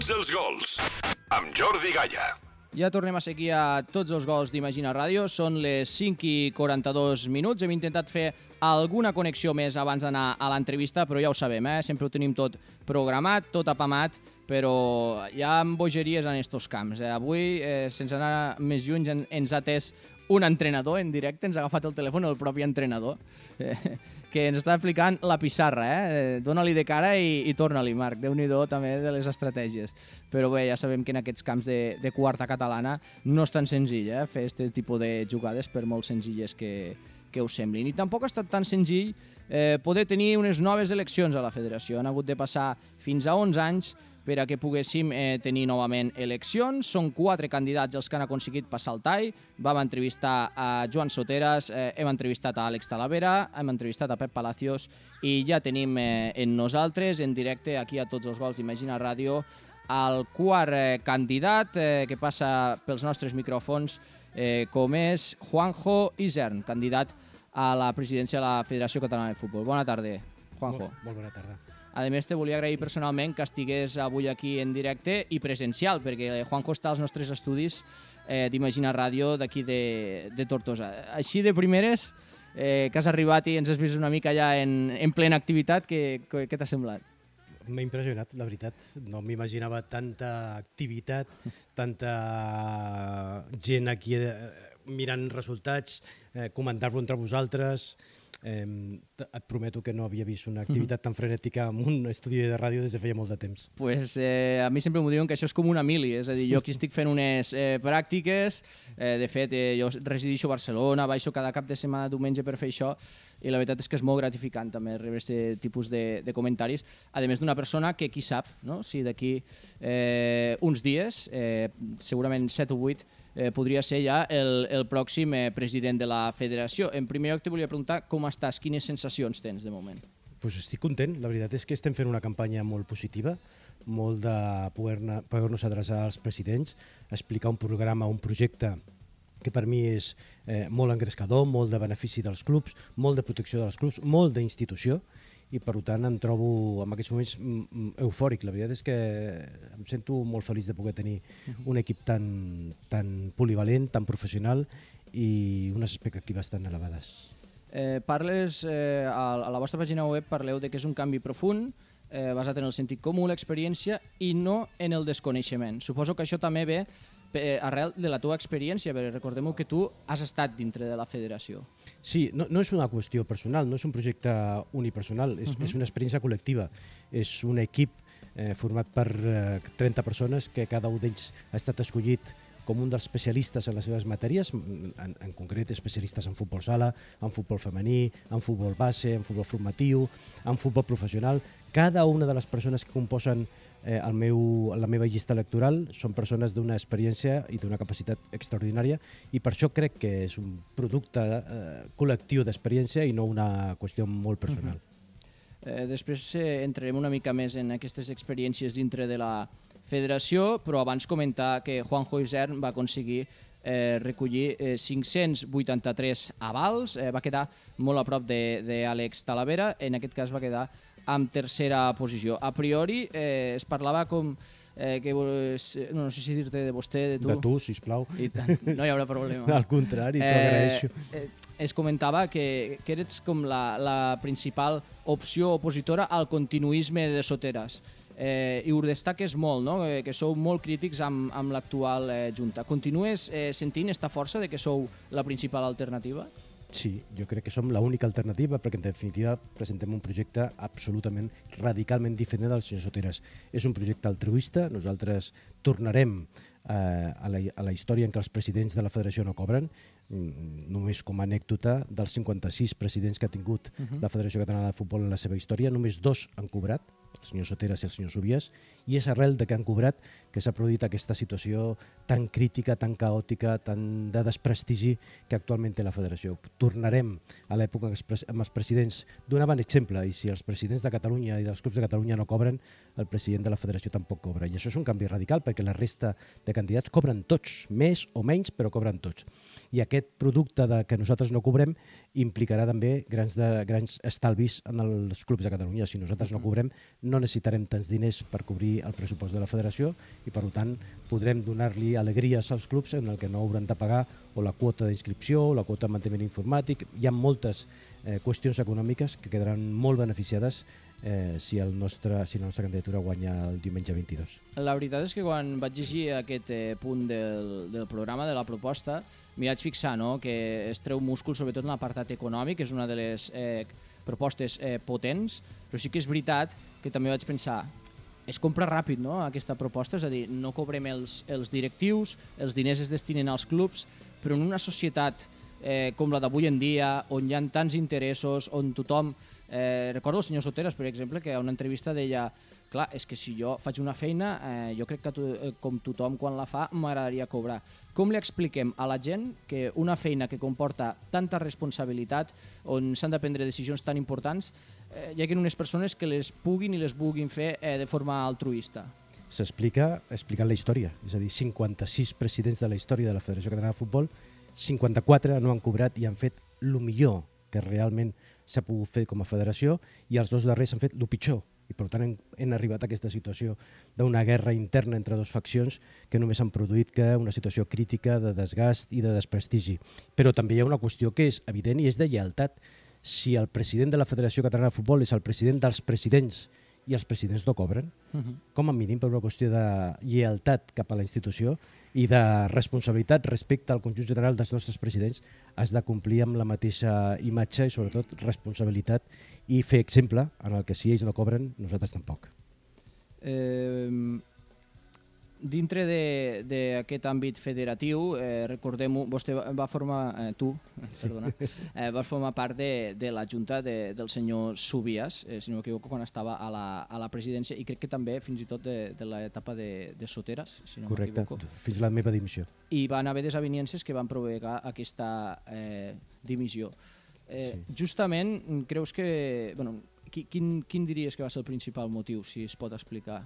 Tots els gols, amb Jordi Gaya. Ja tornem a seguir a tots els gols d'Imagina Ràdio. Són les 5:42 minuts. Hem intentat fer alguna connexió més abans d'anar a l'entrevista, però ja ho sabem, sempre ho tenim tot programat, tot apamat, però hi ha bogeries en estos camps. Avui, sense anar més lluny, ens ha atès un entrenador en directe, ens ha agafat el telèfon el propi entrenador, que ens està explicant la pissarra. Dóna-li de cara i torna-li, Marc. Déu-n'hi-do també de les estratègies. Però bé, ja sabem que en aquests camps de quarta catalana no és tan senzill fer aquest tipus de jugades, per molt senzilles que us semblin. I tampoc ha estat tan senzill poder tenir unes noves eleccions a la federació. Han hagut de passar fins a 11 anys per a que poguéssim tenir novament eleccions. Són 4 candidats els que han aconseguit passar el tall. Vam entrevistar a Joan Soteras, hem entrevistat a Àlex Talavera, hem entrevistat a Pep Palacios i ja tenim en nosaltres, en directe, aquí a Tots els gols d'Imagina Ràdio, el quart candidat que passa pels nostres micròfons, com és Juanjo Isern, candidat a la presidència de la Federació Catalana de Futbol. Bona tarda, Juanjo. Molt bona tarda. A més, te volia agrair personalment que estigués avui aquí en directe i presencial, perquè Juanjo està als nostres estudis d'Imagina Ràdio d'aquí de Tortosa. Així de primeres, que has arribat i ens has vist una mica ja en plena activitat, què t'ha semblat? M'ha impressionat, la veritat. No m'imaginava tanta activitat, tanta gent aquí mirant resultats, comentar-lo entre vosaltres. Et prometo que no havia vist una activitat tan frenètica en un estudi de ràdio des de feia molt de temps. Pues a mi sempre m'ho diuen que això és com una mili, és a dir, jo aquí estic fent unes pràctiques, de fet jo resideixo a Barcelona, baixo cada cap de setmana diumenge per fer això, i la veritat és que és molt gratificant també rebre aquest tipus de comentaris, a més d'una persona que qui sap, no? Si d'aquí uns dies, segurament 7 o 8, podria ser ja el pròxim president de la federació. En primer lloc te volia preguntar com estàs, quines sensacions tens de moment? Pues estic content, la veritat és que estem fent una campanya molt positiva, molt de poder-nos adreçar als presidents, explicar un programa, un projecte que per mi és molt engrescador, molt de benefici dels clubs, molt de protecció dels clubs, molt d'institució, i per tant em trobo en aquests moments eufòric. La veritat és que em sento molt feliç de poder tenir un equip tan polivalent, tan professional i unes expectatives tan elevades. Parles, a la vostra pàgina web parleu de que és un canvi profund, basat en el sentit comú, l'experiència i no en el desconeixement. Suposo que això també ve arrel de la teva experiència, perquè recordem que tu has estat dintre de la federació. Sí, no és una qüestió personal, no és un projecte unipersonal, és una experiència col·lectiva. És un equip format per 30 persones que cada un d'ells ha estat escollit com un dels especialistes en les seves matèries, en concret especialistes en futbol sala, en futbol femení, en futbol base, en futbol formatiu, en futbol professional. Cada una de les persones que composen la meva llista electoral són persones d'una experiència i d'una capacitat extraordinària i per això crec que és un producte col·lectiu d'experiència i no una qüestió molt personal. Després entrarem una mica més en aquestes experiències dintre de la federació, però abans comentar que Juanjo Isern va aconseguir recollir 583 avals, va quedar molt a prop d'Àlex Talavera, en aquest cas va quedar en tercera posició. A priori es parlava com que no sé si dir-te de vostè, de tu. De tu, sisplau. No hi haurà problema. Al contrari, t'ho agraeixo. Es comentava que eres com la principal opció opositora al continuisme de Soteras. I ho destaques molt, no? Que sou molt crítics amb l'actual Junta. Continues sentint aquesta força de que sou la principal alternativa? Sí, jo crec que som l'única alternativa perquè en definitiva presentem un projecte absolutament, radicalment diferent del senyor Soteras. És un projecte altruista, nosaltres tornarem a la història en què els presidents de la federació no cobren, només com a anècdota dels 56 presidents que ha tingut la Federació Catalana de Futbol en la seva història, només 2 han cobrat, el senyor Soteras i el senyor Subias, i és arrel de que han cobrat que s'ha produït aquesta situació tan crítica, tan caòtica, tan de desprestigi que actualment té la federació. Tornarem a l'època en els presidents donaven exemple, i si els presidents de Catalunya i dels clubs de Catalunya no cobren, el president de la federació tampoc cobra. I això és un canvi radical perquè la resta de candidats cobren tots, més o menys, però cobren tots. I aquest producte que nosaltres no cobrem implicarà també grans estalvis en els clubs de Catalunya. Si nosaltres no cobrem, no necessitarem tants diners per cobrir el pressupost de la federació i, per tant, podrem donar-li alegries als clubs en el que no hauran de pagar o la quota d'inscripció o la quota de manteniment informàtic. Hi ha moltes qüestions econòmiques que quedaran molt beneficiades si la nostra candidatura guanya el diumenge 22. La veritat és que quan vaig llegir aquest punt del programa, de la proposta, m'hi vaig fixar que es treu múscul sobretot en l'apartat econòmic, és una de les propostes potents, però sí que és veritat que també vaig pensar es compra ràpid aquesta proposta, és a dir, no cobrem els directius, els diners es destinen als clubs, però en una societat com la d'avui en dia, on hi ha tants interessos, on tothom... recordo el senyor Soteras, per exemple, que a una entrevista deia clar, és que si jo faig una feina, jo crec que com tothom quan la fa m'agradaria cobrar. Com li expliquem a la gent que una feina que comporta tanta responsabilitat, on s'han de prendre decisions tan importants, hi ha unes persones que les puguin i les vulguin fer de forma altruista? S'explica explicant la història, és a dir, 56 presidents de la història de la Federació Catalana de Futbol, 54 no han cobrat i han fet el millor que realment s'ha pogut fer com a federació i els dos darrers han fet el pitjor. I per tant hem arribat a aquesta situació d'una guerra interna entre dues faccions que només han produït que una situació crítica de desgast i de desprestigi. Però també hi ha una qüestió que és evident i és de lleialtat. Si el president de la Federació Catalana de Futbol és el president dels presidents i els presidents no cobren, com a mínim per una qüestió de lleialtat cap a la institució i de responsabilitat respecte al conjunt general dels nostres presidents, has de complir amb la mateixa imatge i sobretot responsabilitat i fer exemple en el que si ells no cobren, nosaltres tampoc. Dintre d'aquest àmbit federatiu, recordem-ho, vostè va formar, vas formar part de la junta del senyor Subias, si no m'equivoco, quan estava a la presidència, i crec que també fins i tot de l'etapa de Soteras, si no m'equivoco. Correcte, fins a la meva dimissió. I van haver desavinences que van provocar aquesta dimissió. Justament, creus que... Quin diries que va ser el principal motiu, si es pot explicar,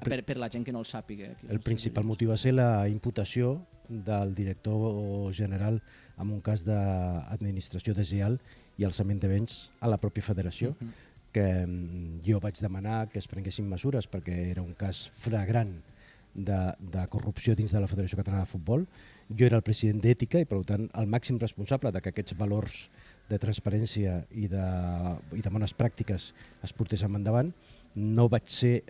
per la gent que no el sàpiga? El principal motiu va ser la imputació del director general en un cas d'administració deslleial i alçament de béns a la pròpia federació, que jo vaig demanar que es prenguessin mesures perquè era un cas flagrant de corrupció dins de la Federació Catalana de Futbol. Jo era el president d'Ètica i, per tant, el màxim responsable de que aquests valors de transparència i de bones pràctiques es portéssim endavant. No vaig ser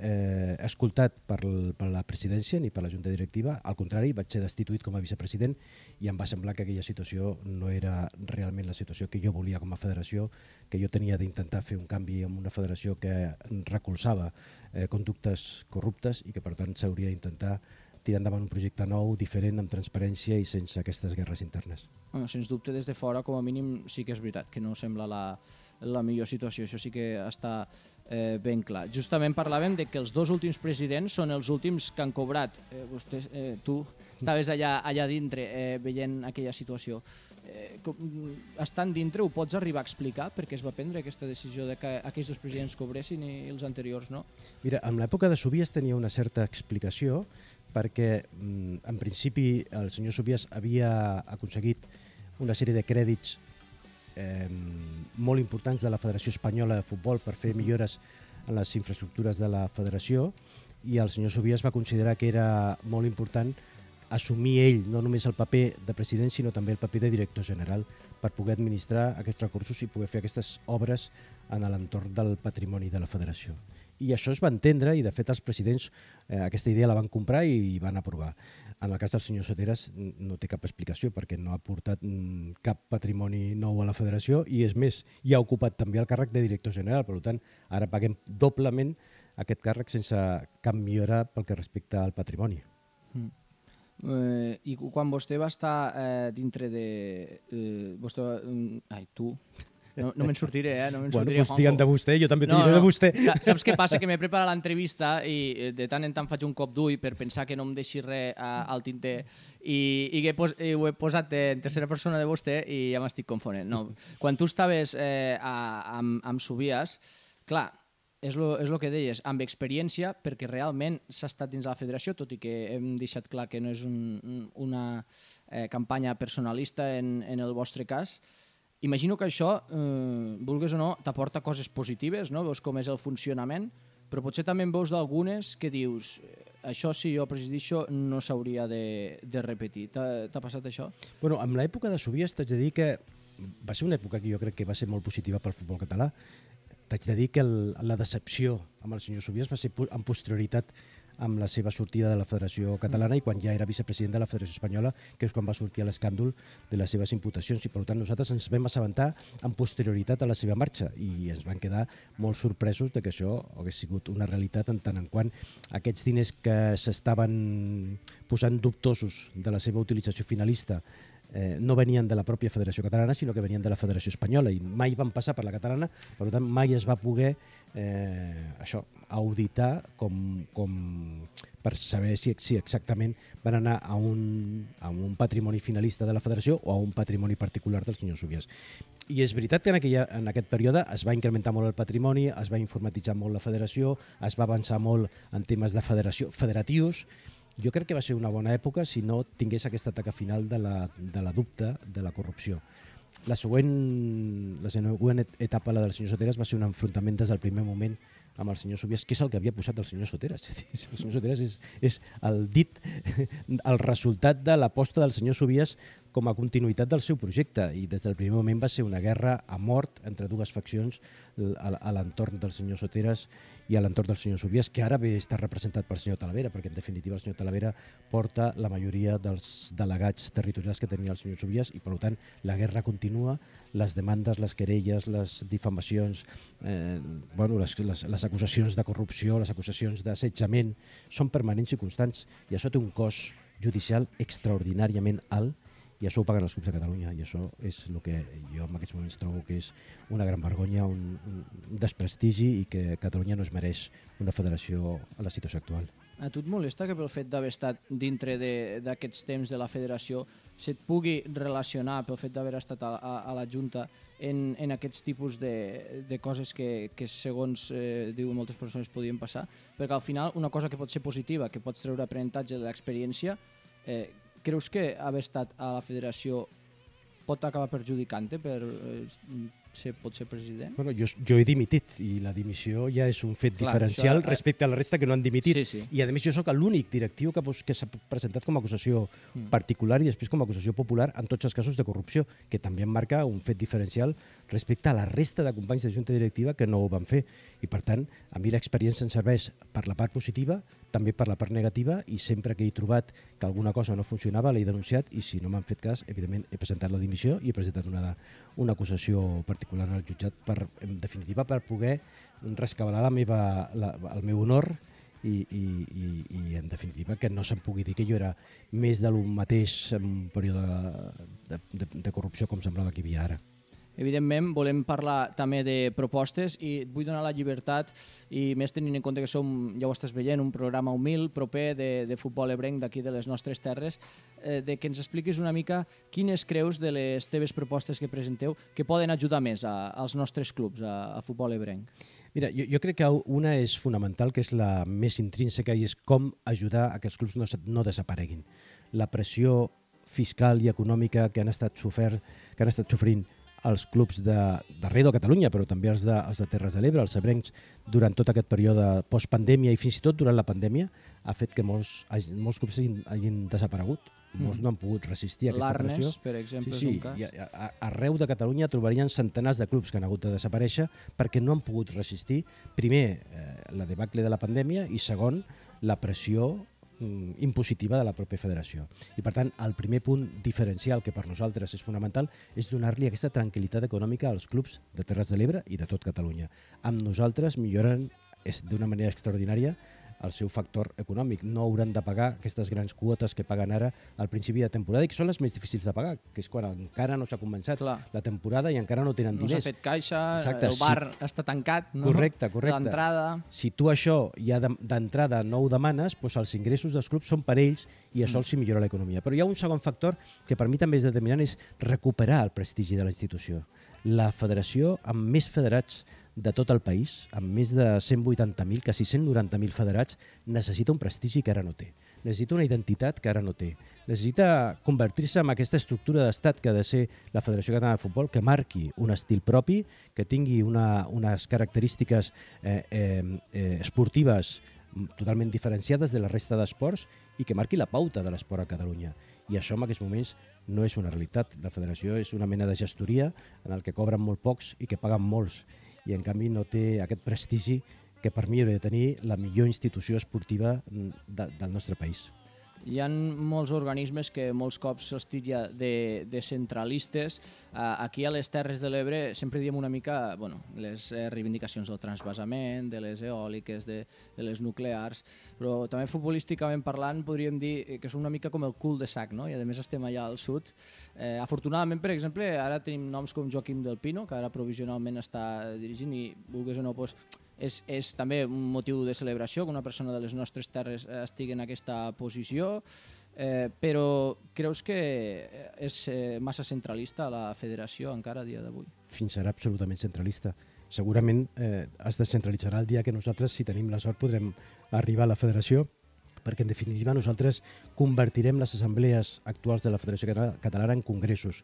escoltat per la presidència ni per la junta directiva, al contrari, vaig ser destituït com a vicepresident i em va semblar que aquella situació no era realment la situació que jo volia com a federació, que jo tenia d'intentar fer un canvi en una federació que recolzava conductes corruptes i que per tant s'hauria d'intentar tirar endavant un projecte nou, diferent, amb transparència i sense aquestes guerres internes. Sens dubte, des de fora, com a mínim, sí que és veritat, que no sembla la millor situació, això sí que està ben clar. Justament parlàvem de que els dos últims presidents són els últims que han cobrat. Tu estaves allà dintre veient aquella situació. Estant dintre, ho pots arribar a explicar per què es va prendre aquesta decisió de que aquells dos presidents cobressin i els anteriors no? Mira, en l'època de Subias tenia una certa explicació perquè en principi el senyor Subias havia aconseguit una sèrie de crèdits molt importants de la Federació Espanyola de Futbol per fer millores en les infraestructures de la federació i el senyor Subias va considerar que era molt important assumir ell no només el paper de president sinó també el paper de director general per poder administrar aquests recursos i poder fer aquestes obres en l'entorn del patrimoni de la federació. I això es va entendre i de fet els presidents aquesta idea la van comprar i van aprovar. En el cas del senyor Soteras no té cap explicació perquè no ha portat cap patrimoni nou a la federació i és més, ja ha ocupat també el càrrec de director general, per tant ara paguem doblement aquest càrrec sense cap millora pel que respecta al patrimoni. I quan vostè va estar dintre de... tu... No me'n sortiré, No me'n sortiré, Juanjo. Digue'm de vostè, jo també t'ho diré de vostè. Saps què passa? Que m'he preparat l'entrevista i de tant en tant faig un cop d'ull per pensar que no em deixi res al tinter i ho he posat en tercera persona de vostè i ja m'estic confonent. No. Quan tu estaves amb Subias, clar, és el que deies, amb experiència, perquè realment s'ha estat dins de la federació, tot i que hem deixat clar que no és una campanya personalista en el vostre cas. imagino que això, vulguis o no, t'aporta coses positives, no? Veus com és el funcionament, però potser també en veus d'algunes que dius això, si jo presidixo, no s'hauria de repetir. T'ha passat això? Bueno, amb l'època de Subies t'haig de dir que va ser una època que jo crec que va ser molt positiva pel futbol català. T'haig de dir que la decepció amb el senyor Subies va ser en posterioritat amb la seva sortida de la Federació Catalana i quan ja era vicepresident de la Federació Espanyola, que és quan va sortir l'escàndol de les seves imputacions. I per tant nosaltres ens vam assabentar en posterioritat a la seva marxa i ens van quedar molt sorpresos de que això hagués sigut una realitat en tant en quant aquests diners que s'estaven posant dubtosos de la seva utilització finalista no venien de la pròpia Federació Catalana, sinó que venien de la Federació Espanyola i mai van passar per la catalana, per tant mai es va poder auditar com per saber si exactament van anar a un patrimoni finalista de la Federació o a un patrimoni particular del senyor Subies. I és veritat que en aquest període es va incrementar molt el patrimoni, es va informatitzar molt la Federació, es va avançar molt en temes de federatius. Jo crec que va ser una bona època si no tingués aquesta taca final de la dubte de la corrupció. La següent etapa, la del senyor Soteras, va ser un enfrontament des del primer moment amb el senyor Subies, que és el que havia posat el senyor Soteras. El senyor Soteras és el resultat de l'aposta del senyor Subies com a continuïtat del seu projecte i des del primer moment va ser una guerra a mort entre dues faccions a l'entorn del senyor Soteras i a l'entorn del senyor Subies, que ara ve estar representat pel senyor Talavera, perquè en definitiva el senyor Talavera porta la majoria dels delegats territorials que tenia el senyor Subies i per tant la guerra continua, les demandes, les querelles, les difamacions, les acusacions de corrupció, les acusacions d'assetjament són permanents i constants i això té un cost judicial extraordinàriament alt i això ho paguen els clubs de Catalunya i això és el que jo en aquests moments trobo que és una gran vergonya, un desprestigi i que Catalunya no es mereix una federació a la situació actual. A tu et molesta que pel fet d'haver estat dintre d'aquests temps de la federació se't pugui relacionar pel fet d'haver estat a la Junta en aquests tipus de coses que segons diuen moltes persones podien passar? Perquè al final una cosa que pot ser positiva, que pots treure aprenentatge de l'experiència, creus que haver estat a la federació pot acabar perjudicant-te per pot ser president? Bueno, jo he dimitit i la dimissió ja és un fet diferencial respecte a la resta que no han dimitit. Sí. I a més jo sóc l'únic directiu que s'ha presentat com a acusació particular i després com a acusació popular en tots els casos de corrupció, que també em marca un fet diferencial respecte a la resta de companys de junta directiva que no ho van fer. I per tant, a mi l'experiència em serveix per la part positiva, també per la part negativa i sempre que he trobat que alguna cosa no funcionava l'he denunciat i si no m'han fet cas, evidentment he presentat la dimissió i he presentat una acusació particular al jutjat en definitiva per poder rescabalar el meu honor i en definitiva que no se'm pugui dir que jo era més de lo mateix en un període de corrupció com semblava que hi havia ara. Evidentment, volem parlar també de propostes i et vull donar la llibertat i més tenint en compte que som, ja ho estàs veient, un programa humil, proper de futbol ebrenc d'aquí de les nostres terres, de que ens expliquis una mica quines creus de les teves propostes que presenteu que poden ajudar més als nostres clubs, a futbol ebrenc. Mira, jo crec que una és fonamental, que és la més intrínseca, i és com ajudar a que els clubs no desapareguin. La pressió fiscal i econòmica que han estat sofrint els clubs d'arreu de Catalunya, però també els de Terres de l'Ebre, els ebrencs, durant tot aquest període postpandèmia i fins i tot durant la pandèmia, ha fet que molts clubs hagin desaparegut. Molts no han pogut resistir a aquesta pressió. L'Arnes, per exemple, és un cas. Arreu de Catalunya trobarien centenars de clubs que han hagut de desaparèixer perquè no han pogut resistir, primer, la debacle de la pandèmia i segon, la pressió impositiva de la pròpia federació. I per tant, el primer punt diferencial que per nosaltres és fonamental és donar-li aquesta tranquil·litat econòmica als clubs de Terres de l'Ebre i de tot Catalunya. Amb nosaltres milloren d'una manera extraordinària el seu factor econòmic. No hauran de pagar aquestes grans quotes que paguen ara al principi de temporada i que són les més difícils de pagar, que és quan encara no s'ha començat la temporada i encara no tenen diners. No s'ha fet caixa, el bar està tancat, no? Correcte. D'entrada. Si tu això ja d'entrada no ho demanes, doncs els ingressos dels clubs són per ells i això els millora l'economia. Però hi ha un segon factor que per mi també és determinant, és recuperar el prestigi de la institució. La federació, amb més federats de tot el país, amb més de 180.000, quasi 190.000 federats, necessita un prestigi que ara no té. necessita una identitat que ara no té. Necessita convertir-se en aquesta estructura d'estat que ha de ser la Federació Catalana de Futbol, que marqui un estil propi, que tingui unes característiques esportives totalment diferenciades de la resta d'esports i que marqui la pauta de l'esport a Catalunya. I això en aquests moments no és una realitat. La federació és una mena de gestoria en el que cobren molt pocs i que paguen molts, i en canvi no té aquest prestigi que per mi hauria de tenir la millor institució esportiva del nostre país. Hi ha molts organismes que molts cops se'ls titlla de centralistes. Aquí a les Terres de l'Ebre sempre diem una mica les reivindicacions del transvasament, de les eòliques, de les nuclears, però també futbolísticament parlant podríem dir que són una mica com el cul de sac, no? I a més estem allà al sud. Afortunadament, per exemple, ara tenim noms com Joaquim del Pino, que ara provisionalment està dirigint i, vulguis o no, és també un motiu de celebració que una persona de les nostres terres estigui en aquesta posició, però creus que és massa centralista la federació encara a dia d'avui? Fins serà absolutament centralista. Segurament es descentralitzarà el dia que nosaltres, si tenim la sort, podrem arribar a la federació, perquè en definitiva nosaltres convertirem les assemblees actuals de la Federació Catalana en congressos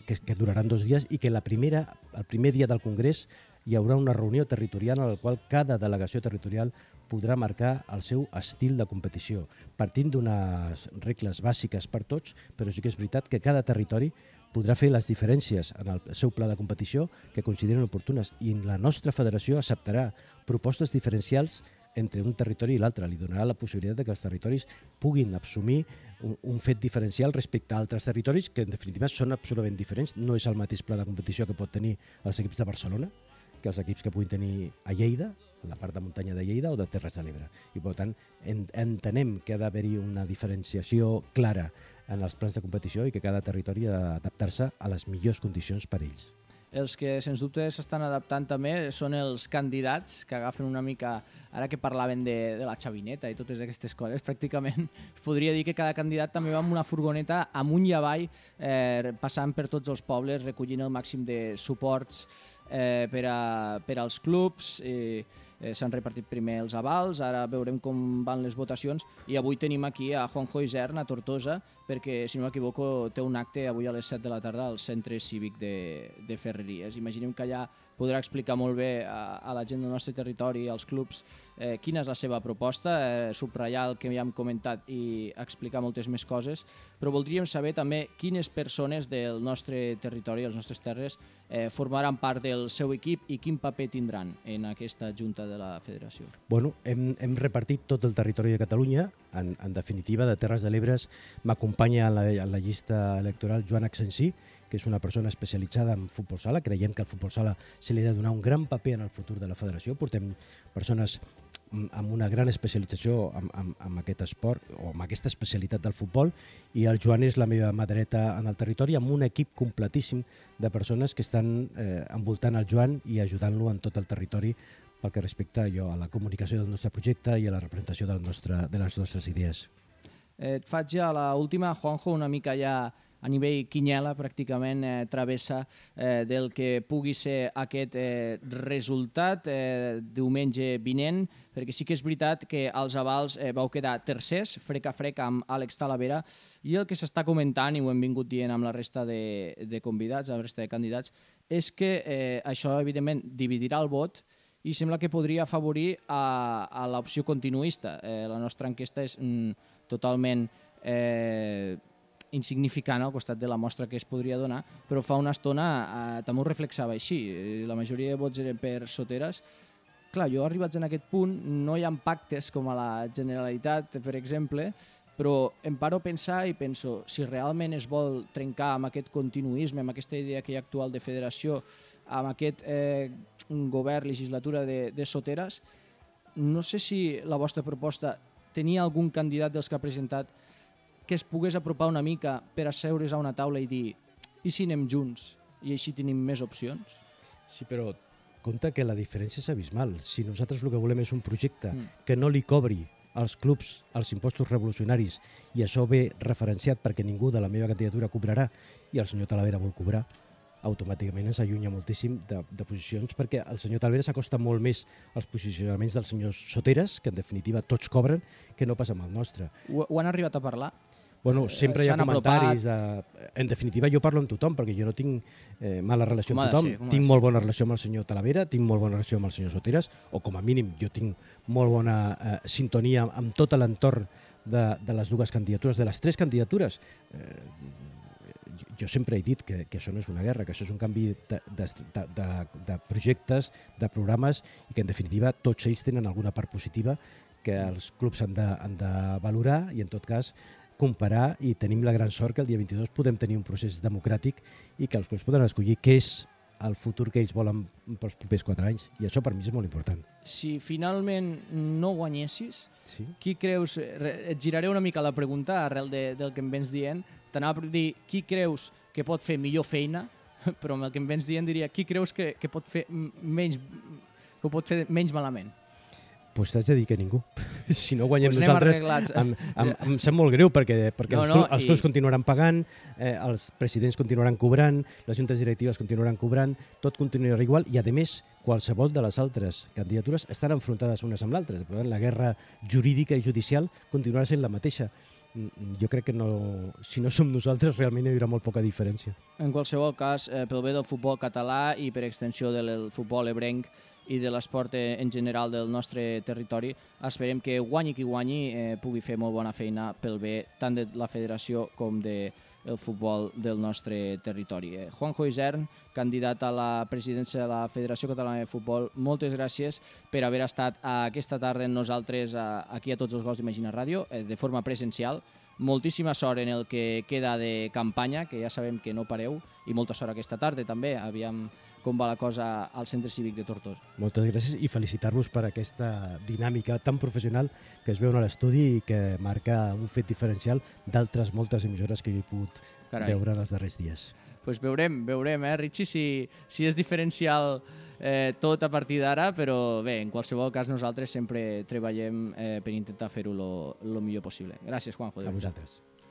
que duraran 2 dies i que el primer dia del congrés hi haurà una reunió territorial en la qual cada delegació territorial podrà marcar el seu estil de competició, partint d'unes regles bàsiques per tots, però sí que és veritat que cada territori podrà fer les diferències en el seu pla de competició que consideren oportunes, i la nostra federació acceptarà propostes diferencials entre un territori i l'altre. Li donarà la possibilitat de que els territoris puguin assumir un fet diferencial respecte a altres territoris que en definitiva són absolutament diferents. No és el mateix pla de competició que pot tenir els equips de Barcelona que els equips que puguin tenir a Lleida, a la part de muntanya de Lleida o de Terres de l'Ebre. I per tant entenem que ha d'haver-hi una diferenciació clara en els plans de competició i que cada territori ha d'adaptar-se a les millors condicions per ells. Els que, sens dubte, s'estan adaptant també són els candidats, que agafen una mica, ara que parlaven de la xavineta i totes aquestes coses, pràcticament es podria dir que cada candidat també va amb una furgoneta amunt i avall, passant per tots els pobles, recollint el màxim de suports per als clubs. S'han repartit primer els avals, ara veurem com van les votacions, i avui tenim aquí a Juanjo Isern, a Tortosa, perquè, si no m'equivoco, té un acte avui a les 7 de la tarda al Centre Cívic de Ferreries. Imaginem que allà podrà explicar molt bé a la gent del nostre territori, als clubs, quina és la seva proposta, subratllar el que ja hem comentat i explicar moltes més coses, però voldríem saber també quines persones del nostre territori, les nostres terres, formaran part del seu equip i quin paper tindran en aquesta junta de la federació. Bueno, hem repartit tot el territori de Catalunya. En definitiva, de Terres de l'Ebre m'acompanya en la llista electoral Joan Axensí, que és una persona especialitzada en futbol sala. Creiem que al futbol sala se li ha de donar un gran paper en el futur de la federació. Portem persones amb una gran especialització en aquest esport o amb aquesta especialitat del futbol, i el Joan és la meva mà dreta en el territori, amb un equip completíssim de persones que estan envoltant el Joan i ajudant-lo en tot el territori pel que respecta a la comunicació del nostre projecte i a la representació de les nostres idees. Et faig ja l'última, Juanjo, una mica ja a nivell quiniela, pràcticament travessa del que pugui ser aquest resultat diumenge vinent, perquè sí que és veritat que als avals vau quedar tercers, frec a frec amb Àlex Talavera, i el que s'està comentant, i ho hem vingut dient amb la resta de convidats, la resta de candidats, és que això, evidentment, dividirà el vot i sembla que podria afavorir a l'opció continuista. La nostra enquesta és totalment insignificant al costat de la mostra que es podria donar, però fa una estona també ho reflexava així. La majoria de vots eren per Soteras. Clar, jo arribats en aquest punt, no hi ha pactes com a la Generalitat, per exemple, però em paro a pensar i penso, si realment es vol trencar amb aquest continuisme, amb aquesta idea que hi ha actual de federació, amb aquest govern, legislatura de Soteras, no sé si la vostra proposta tenia algun candidat dels que ha presentat que es pogués apropar una mica per asseure's a una taula i dir i si anem junts i així tenim més opcions? Sí, però compte que la diferència és abismal. Si nosaltres el que volem és un projecte que no li cobri als clubs els impostos revolucionaris, i això ve referenciat perquè ningú de la meva candidatura cobrarà i el senyor Talavera vol cobrar, automàticament ens allunya moltíssim de posicions, perquè el senyor Talvera s'acosta molt més als posicionaments del senyor Soteras, que en definitiva tots cobren, que no passa amb el nostre. Ho han arribat a parlar? Bueno, sempre hi ha s'han comentaris. En definitiva, jo parlo amb tothom, perquè jo no tinc mala relació amb tothom. Tinc molt bona relació amb el senyor Talavera, tinc molt bona relació amb el senyor Soteras, o com a mínim jo tinc molt bona sintonia amb tot l'entorn de les dues candidatures, de les tres candidatures. Jo sempre he dit que això no és una guerra, que això és un canvi de projectes, de programes, i que en definitiva tots ells tenen alguna part positiva que els clubs han de valorar i en tot cas comparar, i tenim la gran sort que el dia 22 podem tenir un procés democràtic i que els clubs poden escollir què és el futur que ells volen pels propers 4 anys, i això per mi és molt important. Si finalment no guanyessis, sí? Qui creus, et giraré una mica la pregunta arrel del que em vens dient, t'anava a dir qui creus que pot fer millor feina, però amb el que em vens dient diria qui creus que pot fer menys malament? Doncs t'haig de dir que ningú. Si no guanyem nosaltres, em sap molt greu, perquè els clubs continuaran pagant, els presidents continuaran cobrant, les juntes directives continuaran cobrant, tot continuarà igual, i a més qualsevol de les altres candidatures estan enfrontades unes amb l'altres. Per tant, la guerra jurídica i judicial continuarà sent la mateixa. Jo crec que si no som nosaltres realment hi haurà molt poca diferència. En qualsevol cas, pel bé del futbol català i per extensió del futbol ebrenc i de l'esport en general del nostre territori, esperem que guanyi qui guanyi pugui fer molt bona feina pel bé tant de la federació com del futbol del nostre territori. Juanjo Isern, candidat a la presidència de la Federació Catalana de Futbol, moltes gràcies per haver estat aquesta tarda amb nosaltres aquí a Tots els Gols d'Imagina Ràdio, de forma presencial. Moltíssima sort en el que queda de campanya, que ja sabem que no pareu, i molta sort aquesta tarda també. Aviam com va la cosa al Centre Cívic de Tortosa. Moltes gràcies i felicitar-vos per aquesta dinàmica tan professional que es veu a l'estudi i que marca un fet diferencial d'altres moltes emissores que jo he pogut veure en els darrers dies. Doncs veurem, Richie, si és diferencial tot a partir d'ara, però bé, en qualsevol cas nosaltres sempre treballem per intentar fer-ho el millor possible. Gràcies, Juanjo. A vosaltres.